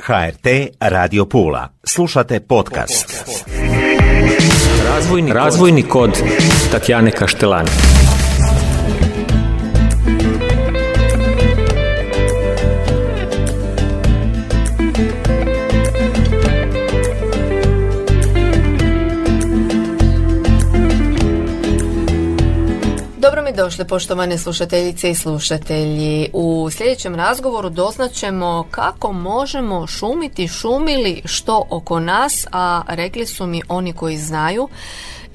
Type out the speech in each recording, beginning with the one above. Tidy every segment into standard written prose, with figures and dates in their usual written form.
HRT Radio Pula. Slušate podcast. Razvojni kod Tatjane Kaštelani. Dobro mi došli, poštovane slušateljice i slušatelji. U sljedećem razgovoru doznaćemo kako možemo šumili što oko nas, a rekli su mi oni koji znaju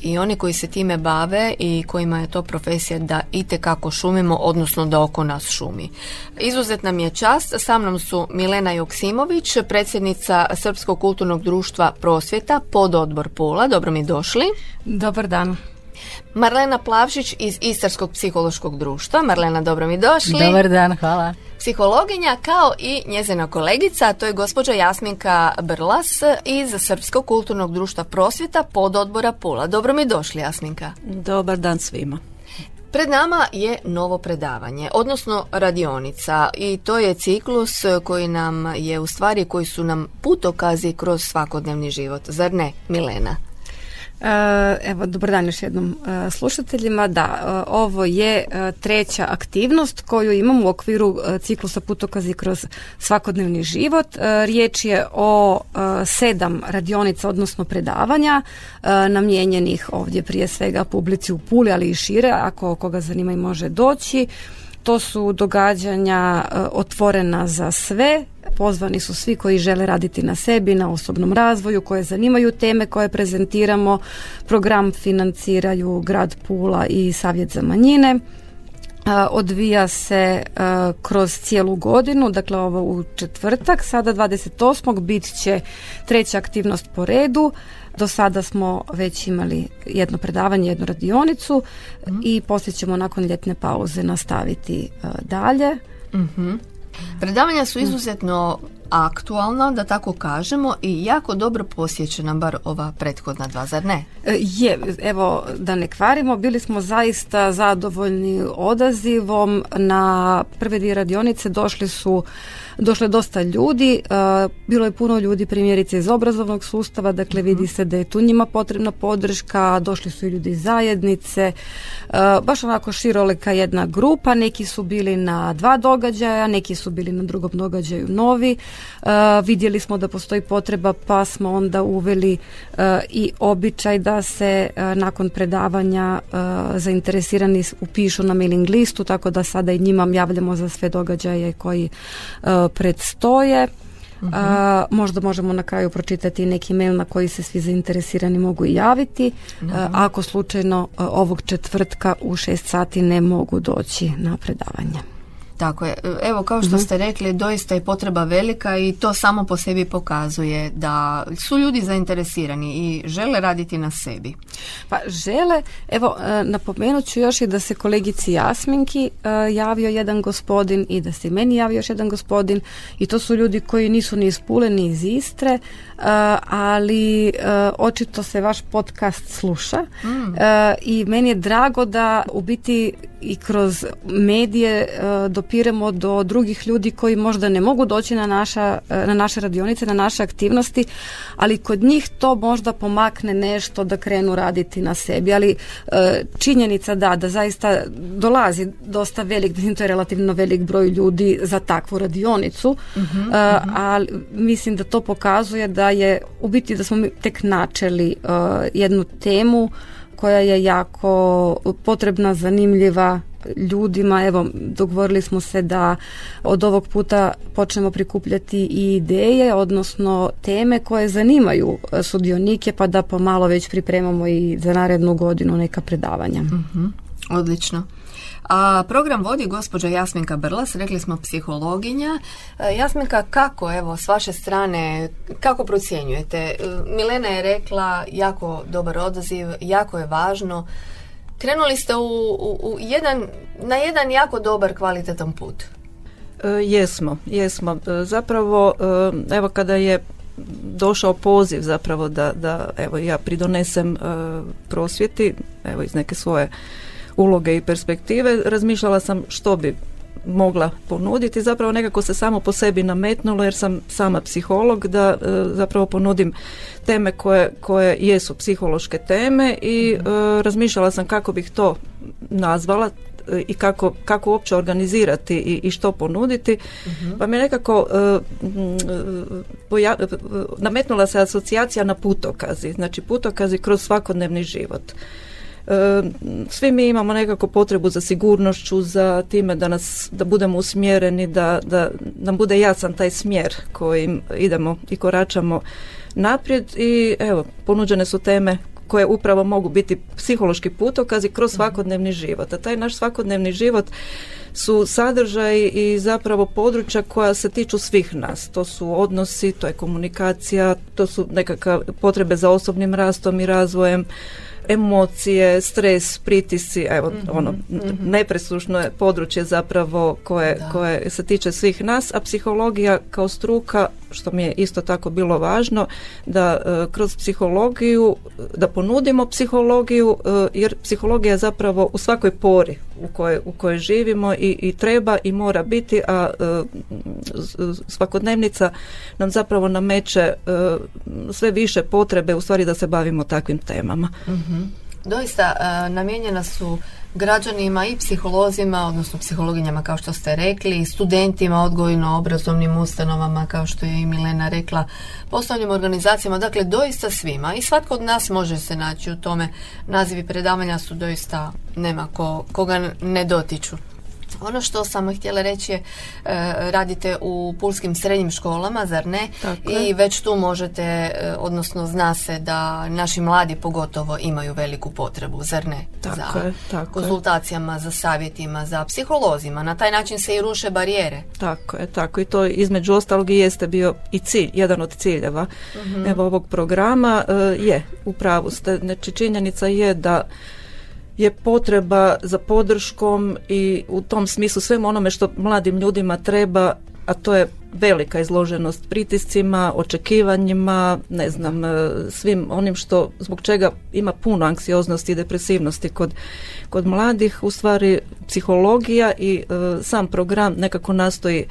i oni koji se time bave i kojima je to profesija da itekako šumimo, odnosno da oko nas šumi. Izuzetna mi je čast, sa mnom su Milena Joksimović, predsjednica Srpskog kulturnog društva Prosvjeta, pododbor Pula. Dobro mi došli. Dobar dan. Marlena Plavšić iz Istarskog psihološkog društva. Marlena, dobro mi došli. Dobar dan, hvala. Psihologinja kao i njezina kolegica, a to je gospođa Jasminka Brlas iz Srpskog kulturnog društva Prosvjeta, pododbora Pula. Dobro mi došli, Jasminka. Dobar dan svima. Pred nama je novo predavanje, odnosno radionica, i to je ciklus koji nam je u stvari, koji su nam putokazi kroz svakodnevni život. Zar ne, Milena? Evo, dobar dan još jednom slušateljima. Da, ovo je treća aktivnost koju imamo u okviru ciklusa Putokazi kroz svakodnevni život. Riječ je o 7 radionica, odnosno predavanja, namijenjenih ovdje prije svega publici u Puli, ali i šire, ako koga zanima i može doći. To su događanja otvorena za sve. Pozvani su svi koji žele raditi na sebi, na osobnom razvoju, koje zanimaju teme koje prezentiramo. Program financiraju Grad Pula i Savjet za manjine. Odvija se kroz cijelu godinu, dakle ovo u četvrtak, sada 28. bit će treća aktivnost po redu. Do sada smo već imali jedno predavanje, jednu radionicu i poslije ćemo nakon ljetne pauze nastaviti dalje. Predavanja su izuzetno aktualna, da tako kažemo, i jako dobro posjećena, bar ova prethodna dva, zar ne? Je, evo, da ne kvarimo, bili smo zaista zadovoljni odazivom. Na prve dvije radionice došlo je dosta ljudi, bilo je puno ljudi primjerice iz obrazovnog sustava, dakle vidi se da je tu njima potrebna podrška, došli su i ljudi iz zajednice, baš onako širolika jedna grupa, neki su bili na 2 događaja, neki su bili na drugom događaju novi, vidjeli smo da postoji potreba pa smo onda uveli i običaj da se nakon predavanja zainteresirani upišu na mailing listu, tako da sada i njima javljamo za sve događaje koji predstoje. Možda možemo na kraju pročitati neki mail na koji se svi zainteresirani mogu javiti, ako slučajno ovog četvrtka u 6 sati ne mogu doći na predavanje. Tako je. Evo, kao što ste rekli, doista je potreba velika i to samo po sebi pokazuje da su ljudi zainteresirani i žele raditi na sebi. Pa žele, evo, napomenut ću još i da se kolegici Jasminki javio jedan gospodin i da se meni javio još jedan gospodin, i to su ljudi koji nisu ni iz Pule ni iz Istre, ali očito se vaš podcast sluša i meni je drago da u biti i kroz medije dopiremo do drugih ljudi koji možda ne mogu doći na naše radionice, na naše aktivnosti, ali kod njih to možda pomakne nešto da krenu raditi na sebi. Ali činjenica da zaista dolazi dosta velik, to je relativno velik broj ljudi za takvu radionicu, ali mislim da to pokazuje da je u biti da smo mi tek načeli jednu temu koja je jako potrebna, zanimljiva ljudima. Evo, dogovorili smo se da od ovog puta počnemo prikupljati i ideje, odnosno teme koje zanimaju sudionike, pa da pomalo već pripremamo i za narednu godinu neka predavanja. Odlično. A program vodi gospođa Jasminka Brlas, rekli smo psihologinja. Jasminka, kako, evo, s vaše strane, kako procjenjujete? Milena je rekla jako dobar odaziv, jako je važno. Krenuli ste na jedan jako dobar, kvalitetan put. Jesmo. Zapravo, evo, kada je došao poziv zapravo da evo ja pridonesem prosvjeti, evo iz neke svoje uloge i perspektive, razmišljala sam što bi mogla ponuditi. Zapravo nekako se samo po sebi nametnulo jer sam sama psiholog da zapravo ponudim teme koje jesu psihološke teme i razmišljala sam kako bih to nazvala i kako uopće organizirati i što ponuditi. Pa mi je nekako nametnula se asocijacija na putokazi. Znači putokazi kroz svakodnevni život. Svi mi imamo nekako potrebu za sigurnošću, za time da budemo usmjereni, da nam bude jasan taj smjer kojim idemo i koračamo naprijed i evo, ponuđene su teme koje upravo mogu biti psihološki putokazi kroz svakodnevni život. A taj naš svakodnevni život su sadržaji i zapravo područja koja se tiču svih nas. To su odnosi, to je komunikacija, to su nekakve potrebe za osobnim rastom i razvojem, emocije, stres, pritisci, evo nepresušno je područje zapravo koje se tiče svih nas, a psihologija kao struka, što mi je isto tako bilo važno, da kroz psihologiju, da ponudimo psihologiju, jer psihologija je zapravo u svakoj pori u kojoj živimo i treba i mora biti, a svakodnevnica nam zapravo nameće sve više potrebe u stvari da se bavimo takvim temama. Doista namijenjena su građanima i psiholozima, odnosno psihologinjama kao što ste rekli, i studentima, odgojno-obrazovnim ustanovama kao što je i Milena rekla, poslovnim organizacijama, dakle doista svima i svatko od nas može se naći u tome. Nazivi predavanja su doista, nema koga ne dotiču. Ono što sam htjela reći je, radite u pulskim srednjim školama, zar ne? Tako i je. Već tu možete, odnosno zna se da naši mladi pogotovo imaju veliku potrebu, zar ne? Tako konzultacijama, za savjetima, za psiholozima. Na taj način se i ruše barijere. Tako i to između ostalog i jeste bio i cilj, jedan od ciljeva evo ovog programa. Je, u pravu ste. Znači, činjenica je da je potreba za podrškom i u tom smislu svemu onome što mladim ljudima treba, a to je velika izloženost pritiscima, očekivanjima, ne znam, svim onim što zbog čega ima puno anksioznosti i depresivnosti kod mladih. U stvari psihologija i sam program nekako nastoji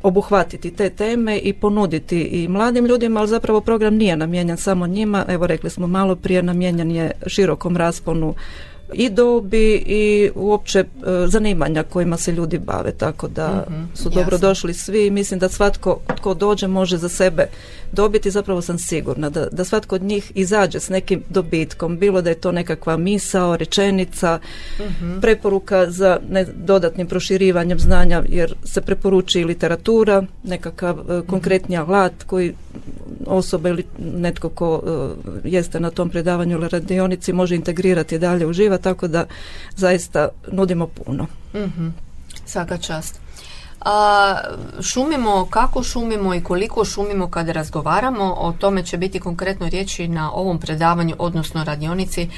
obuhvatiti te teme i ponuditi i mladim ljudima, ali zapravo program nije namijenjen samo njima. Evo, rekli smo malo prije, namijenjen je širokom rasponu i dobi i uopće zanimanja kojima se ljudi bave, tako da su dobro došli svi i mislim da svatko tko dođe može za sebe dobiti, zapravo sam sigurna da svatko od njih izađe s nekim dobitkom, bilo da je to nekakva misao, rečenica, preporuka za dodatnim proširivanjem znanja, jer se preporuči i literatura, nekakav konkretni alat koji osoba ili netko ko jeste na tom predavanju ili radionici može integrirati dalje u život, tako da zaista nudimo puno. Svaka čast. Šumimo, kako šumimo i koliko šumimo kada razgovaramo, o tome će biti konkretno riječi na ovom predavanju, odnosno radionici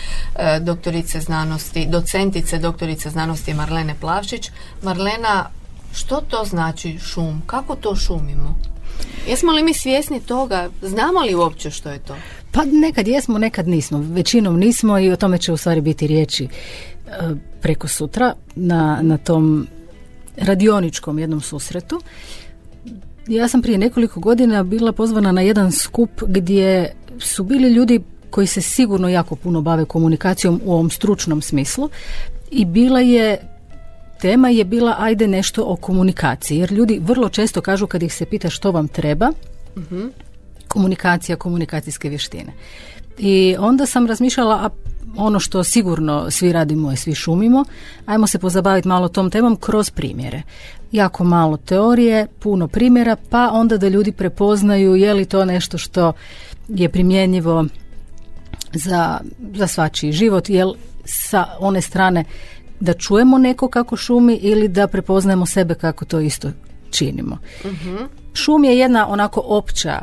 docentice doktorice znanosti Marlene Plavšić. Marlena, što to znači šum? Kako to šumimo? Jesmo li mi svjesni toga? Znamo li uopće što je to? Pa nekad jesmo, nekad nismo. Većinom nismo i o tome će u stvari biti riječi preko sutra na tom radioničkom jednom susretu. Ja sam prije nekoliko godina bila pozvana na jedan skup gdje su bili ljudi koji se sigurno jako puno bave komunikacijom u ovom stručnom smislu i tema je bila ajde nešto o komunikaciji, jer ljudi vrlo često kažu kad ih se pita što vam treba, komunikacija, komunikacijske vještine. I onda sam razmišljala, a ono što sigurno svi radimo i svi šumimo, ajmo se pozabaviti malo tom temom kroz primjere. Jako malo teorije, puno primjera, pa onda da ljudi prepoznaju je li to nešto što je primjenjivo za svačiji život, jel sa one strane da čujemo neko kako šumi ili da prepoznajemo sebe kako to isto činimo. Šum je jedna onako opća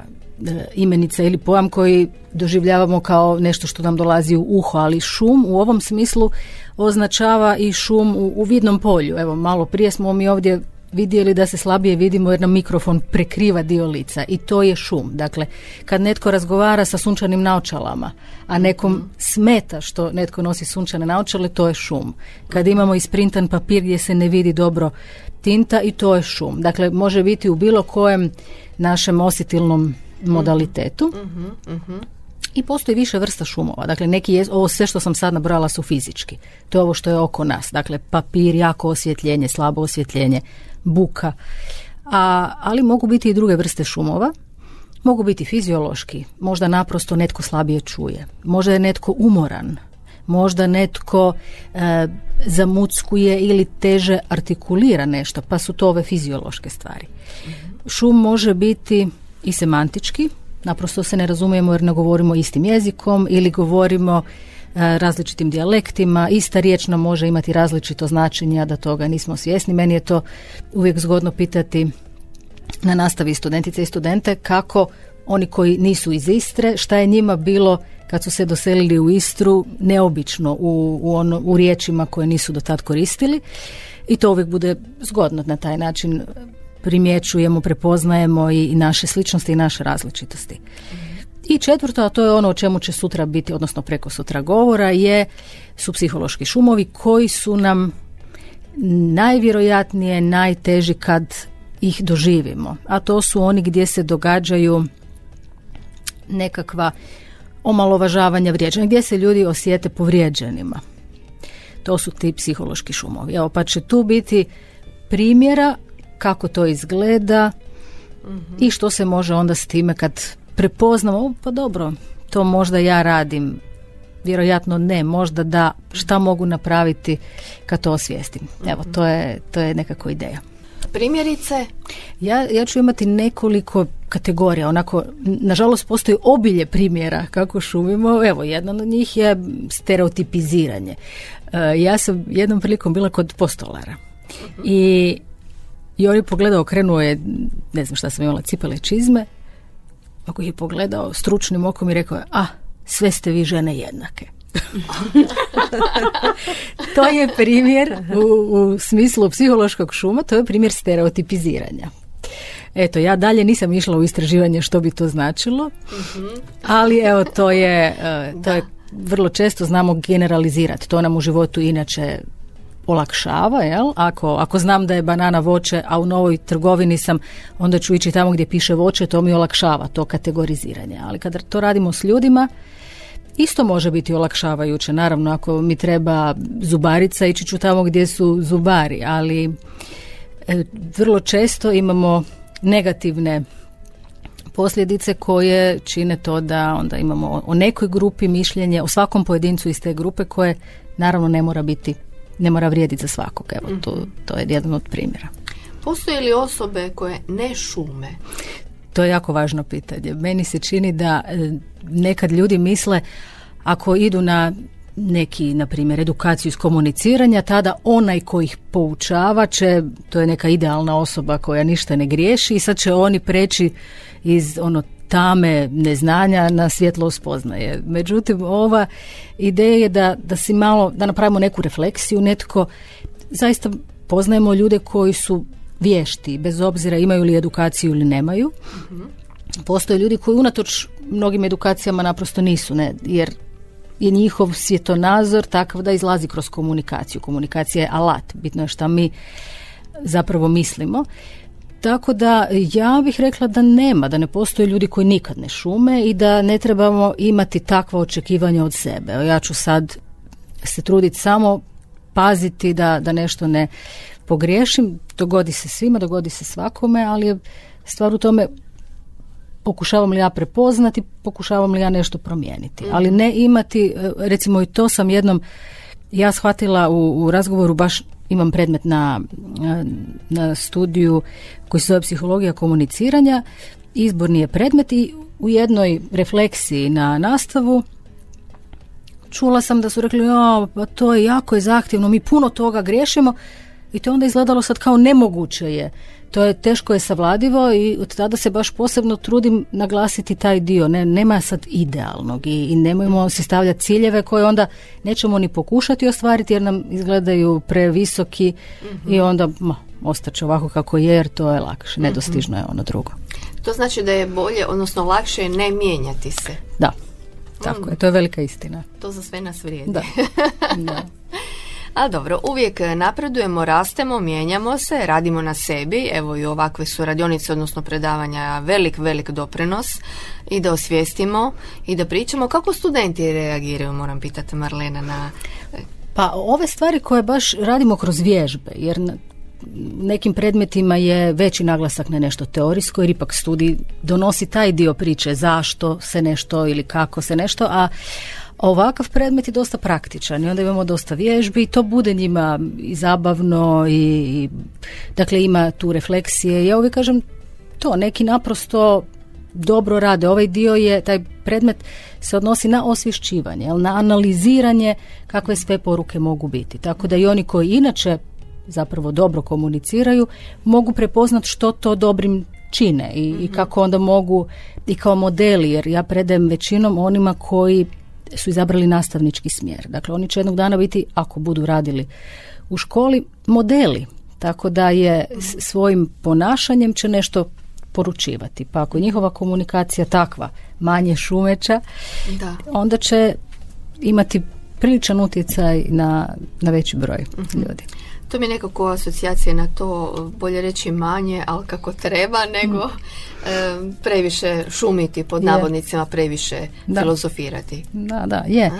imenica ili pojam koji doživljavamo kao nešto što nam dolazi u uho, ali šum u ovom smislu označava i šum u vidnom polju. Evo, malo prije smo mi ovdje vidjeli da se slabije vidimo jer nam mikrofon prekriva dio lica i to je šum. Dakle, kad netko razgovara sa sunčanim naočalama, a nekom smeta što netko nosi sunčane naočale, to je šum. Kad imamo isprintan papir gdje se ne vidi dobro tinta, i to je šum. Dakle, može biti u bilo kojem našem osjetilnom modalitetu. I postoji više vrsta šumova. Dakle, ovo sve što sam sad nabrala su fizički. To je ovo što je oko nas. Dakle, papir, jako osvjetljenje, slabo osvjetljenje, buka. Ali mogu biti i druge vrste šumova. Mogu biti fiziološki. Možda naprosto netko slabije čuje. Možda je netko umoran. Možda netko zamuckuje ili teže artikulira nešto, pa su to ove fiziološke stvari. Šum može biti i semantički. Naprosto se ne razumijemo jer ne govorimo istim jezikom ili govorimo različitim dijalektima. Ista riječ nam može imati različito značenje, a da toga nismo svjesni. Meni je to uvijek zgodno pitati na nastavi studentice i studente kako oni koji nisu iz Istre, šta je njima bilo kad su se doselili u Istru neobično u riječima koje nisu do tad koristili. I to uvijek bude zgodno na taj način. Primjećujemo, prepoznajemo i naše sličnosti i naše različitosti. I četvrto, a to je ono o čemu će sutra biti, odnosno preko sutra govora, su psihološki šumovi koji su nam najvjerojatnije najteži kad ih doživimo. A to su oni gdje se događaju nekakva omalovažavanja, vrijeđanja, gdje se ljudi osjete povrijeđenima. To su ti psihološki šumovi. Evo, pa će tu biti primjera kako to izgleda i što se može onda s time kad prepoznamo, pa dobro, to možda ja radim, vjerojatno ne, možda da, šta mogu napraviti kad to osvijestim. Evo, to je nekako ideja. Primjerice? Ja ću imati nekoliko kategorija, onako, nažalost postoji obilje primjera kako šumimo. Evo, jedan od njih je stereotipiziranje. Ja sam jednom prilikom bila kod postolara i on je pogledao, okrenuo je, ne znam šta sam imala, cipele, čizme, ako je pogledao stručnim okom i rekao je, sve ste vi žene jednake. To je primjer u smislu psihološkog šuma, to je primjer stereotipiziranja. Eto, ja dalje nisam išla u istraživanje što bi to značilo, ali evo, to je vrlo često znamo generalizirati. To nam u životu inače olakšava, jel? Ako znam da je banana voće, a u novoj trgovini sam, onda ću ići tamo gdje piše voće, to mi olakšava to kategoriziranje. Ali kada to radimo s ljudima, isto može biti olakšavajuće. Naravno, ako mi treba zubarica, ići ću tamo gdje su zubari, ali vrlo često imamo negativne posljedice koje čine to da onda imamo o nekoj grupi mišljenje, o svakom pojedincu iz te grupe koje naravno ne mora vrijediti za svakog. Evo, to je jedan od primjera. Postoje li osobe koje ne šume? To je jako važno pitanje. Meni se čini da nekad ljudi misle ako idu na neki, na primjer, edukaciju iz komuniciranja, tada onaj koji ih poučava će, to je neka idealna osoba koja ništa ne griješi i sad će oni preći iz tame neznanja na svjetlo spoznaje. Međutim, ova ideja je da si malo, da napravimo neku refleksiju, netko, zaista poznajemo ljude koji su vješti, bez obzira imaju li edukaciju ili nemaju. Postoje ljudi koji unatoč mnogim edukacijama naprosto nisu, jer je njihov svjetonazor takav da izlazi kroz komunikaciju. Komunikacija je alat, bitno je šta mi zapravo mislimo. Tako da ja bih rekla da ne postoje ljudi koji nikad ne šume i da ne trebamo imati takva očekivanja od sebe. Ja ću sad se truditi samo paziti da nešto ne pogriješim. Dogodi se svima, dogodi se svakome, ali je stvar u tome pokušavam li ja prepoznati, pokušavam li ja nešto promijeniti. Ali ne imati, recimo i to sam jednom ja shvatila u razgovoru, baš imam predmet na studiju koji se zove psihologija komuniciranja, izborni je predmet i u jednoj refleksiji na nastavu čula sam da su rekli, pa to je jako zahtjevno, mi puno toga griješimo. I to onda izgledalo sad kao nemoguće je. To je teško je savladivo i od tada se baš posebno trudim naglasiti taj dio. Nema sad idealnog i nemojmo si stavljati ciljeve koje onda nećemo ni pokušati ostvariti jer nam izgledaju previsoki i onda ostaće ovako kako je jer to je lakše. Nedostižno je ono drugo. To znači da je bolje, odnosno lakše ne mijenjati se. Da, tako je. To je velika istina. To za sve nas vrijedi. Da. Da. A dobro, uvijek napredujemo, rastemo, mijenjamo se, radimo na sebi, evo i ovakve su radionice, odnosno predavanja, velik doprinos i da osvijestimo i da pričamo. Kako studenti reagiraju, moram pitati Marlena, na... Pa ove stvari koje baš radimo kroz vježbe, jer nekim predmetima je veći naglasak na nešto teorijsko, jer ipak studij donosi taj dio priče zašto se nešto ili kako se nešto, a ovakav predmet je dosta praktičan i onda imamo dosta vježbi i to bude njima i zabavno i dakle ima tu refleksije. Ja uvijek kažem to, neki naprosto dobro rade. Ovaj dio je, taj predmet se odnosi na osvješćivanje, na analiziranje kakve sve poruke mogu biti. Tako da i oni koji inače zapravo dobro komuniciraju mogu prepoznati što to dobrim čine i kako onda mogu i kao modeli, jer ja predajem većinom onima koji su izabrali nastavnički smjer. Dakle, oni će jednog dana biti, ako budu radili u školi, modeli. Tako da je svojim ponašanjem će nešto poručivati. Pa ako je njihova komunikacija takva, manje šumeća, onda će imati priličan utjecaj na veći broj ljudi. To mi je nekako asocijacija na to, bolje reći manje, ali kako treba, nego previše šumiti, pod navodnicima, previše filozofirati. Da, je.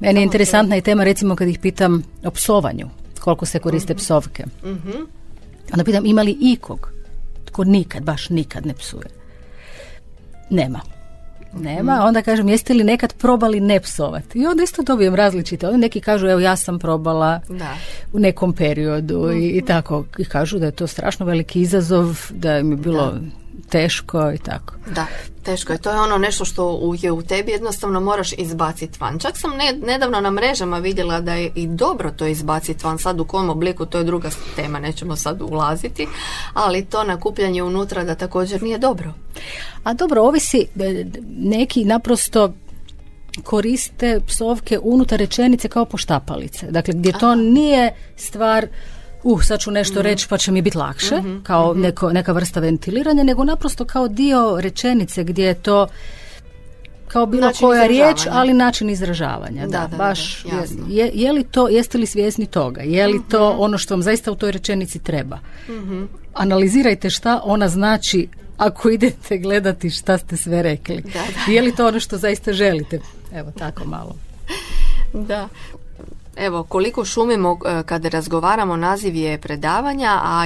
Meni je interesantna i tema, recimo kad ih pitam o psovanju, koliko se koriste psovke. Onda pitam ima li ikog tko baš nikad ne psuje? Nema. Onda kažem, jeste li nekad probali ne psovati? I onda isto dobijem različite. Onda neki kažu, evo ja sam probala u nekom periodu i tako. I kažu da je to strašno veliki izazov, da mi je bilo teško i tako. Da, teško je. To je ono nešto što je u tebi, jednostavno moraš izbaciti van. Čak sam nedavno na mrežama vidjela da je i dobro to izbaciti van. Sad u kom obliku, to je druga tema, nećemo sad ulaziti, ali to nakupljanje unutra da također nije dobro. A dobro, ovisi, neki naprosto koriste psovke unutar rečenice kao poštapalice. Dakle, gdje to nije stvar sad ću nešto reći pa će mi biti lakše, kao neka vrsta ventiliranja, nego naprosto kao dio rečenice gdje je to kao bilo način koja riječ, ali način izražavanja. Da, baš. Je li to, jeste li svjesni toga? Je li to ono što vam zaista u toj rečenici treba? Analizirajte šta ona znači ako idete gledati šta ste sve rekli. Je li to ono što zaista želite? Evo, tako malo. Da. Evo, koliko šumimo kada razgovaramo, naziv je predavanja, a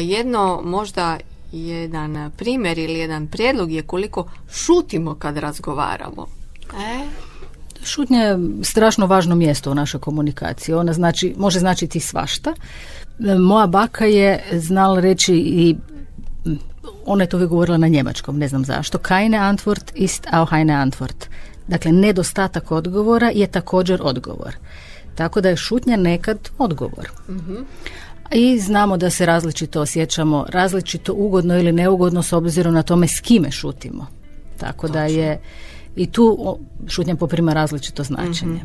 možda jedan primjer ili jedan prijedlog je koliko šutimo kad razgovaramo. Šutnja je strašno važno mjesto u našoj komunikaciji. Ona može značiti svašta. Moja baka je znala reći i ona je to uvijek govorila na njemačkom, ne znam zašto. Keine Antwort ist auch eine Antwort. Dakle, nedostatak odgovora je također odgovor. Tako da je šutnja nekad odgovor. I znamo da se različito osjećamo, različito ugodno ili neugodno s obzirom na tome s kime šutimo. Tako da je i tu šutnja poprima različito značenje.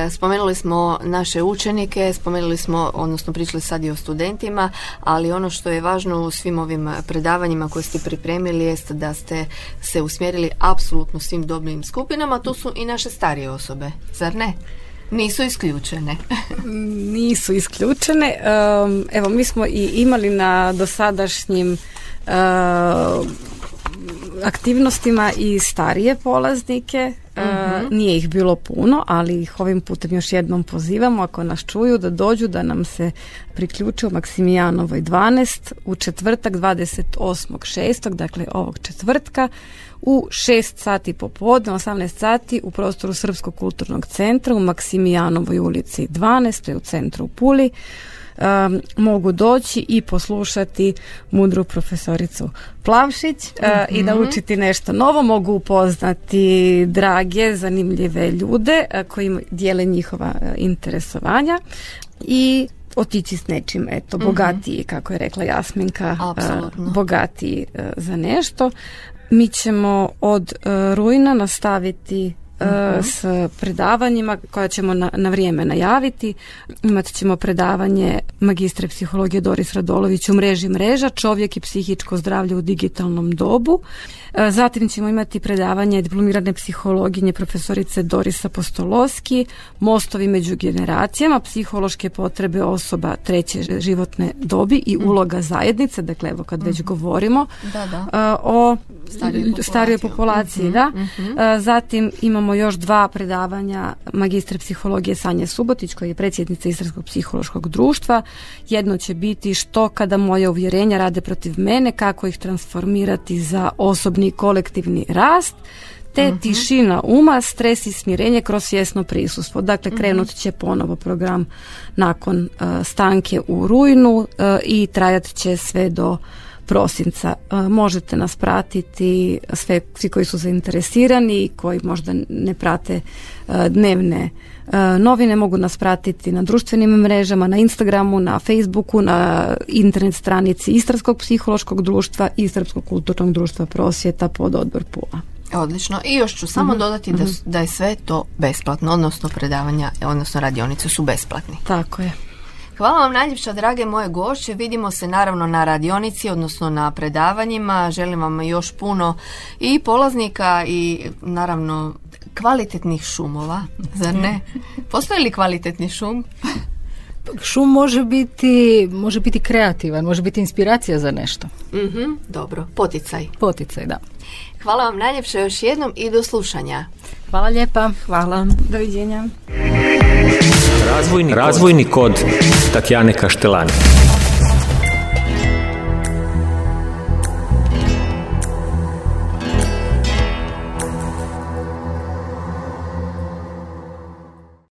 Spomenuli smo naše učenike, odnosno pričali sad i o studentima, ali ono što je važno u svim ovim predavanjima koje ste pripremili jest da ste se usmjerili apsolutno svim dobnim skupinama, tu su i naše starije osobe, zar ne? Nisu isključene. Nisu isključene. Evo, mi smo i imali na dosadašnjim aktivnostima i starije polaznike. Nije ih bilo puno, ali ih ovim putem još jednom pozivamo, ako nas čuju, da dođu, da nam se priključe u Maksimijanovoj 12 u četvrtak 28.6. dakle ovog četvrtka u 6 sati popodne, 18 sati u prostoru Srpskog kulturnog centra u Maksimijanovoj ulici 12, to je u centru u Puli. Mogu doći i poslušati mudru profesoricu Plavšić i naučiti nešto novo. Mogu upoznati drage, zanimljive ljude koji dijele njihova interesovanja i otići s nečim, eto, bogatiji, kako je rekla Jasminka, bogatiji za nešto. Mi ćemo od rujna nastaviti s predavanjima koja ćemo na vrijeme najaviti. Imat ćemo predavanje magistre psihologije Doris Radolović u mreži mreža, čovjek i psihičko zdravlje u digitalnom dobu. Zatim ćemo imati predavanje diplomirane psihologinje profesorice Doris Apostoloski, mostovi među generacijama, psihološke potrebe osoba treće životne dobi i uloga zajednice, dakle evo kad već govorimo o starijoj populaciji. Zatim imamo još 2 predavanja magistre psihologije Sanje Subotić, koja je predsjednica Istarskog psihološkog društva. Jedno će biti što kada moje uvjerenja rade protiv mene, kako ih transformirati za osobni i kolektivni rast, te tišina uma, stres i smirenje kroz svjesno prisustvo. Dakle, krenut će ponovo program nakon stanke u rujnu i trajat će sve do prosinca. Možete nas pratiti, svi koji su zainteresirani i koji možda ne prate dnevne novine, mogu nas pratiti na društvenim mrežama, na Instagramu, na Facebooku, na internet stranici Istarskog psihološkog društva i Srpskog kulturnog društva prosvjeta pod odbor Pula. Odlično. I još ću samo dodati da je sve to besplatno, odnosno predavanja, odnosno radionice su besplatni. Tako je. Hvala vam najljepša, drage moje gošće. Vidimo se naravno na radionici, odnosno na predavanjima. Želim vam još puno i polaznika i naravno kvalitetnih šumova, zar ne? Postoji li kvalitetni šum? Šum može biti kreativan, može biti inspiracija za nešto. Dobro, poticaj. Poticaj, da. Hvala vam najljepša još jednom i do slušanja. Hvala lijepa. Hvala. Doviđenja. Razvojni kod Tatjane Kaštelani.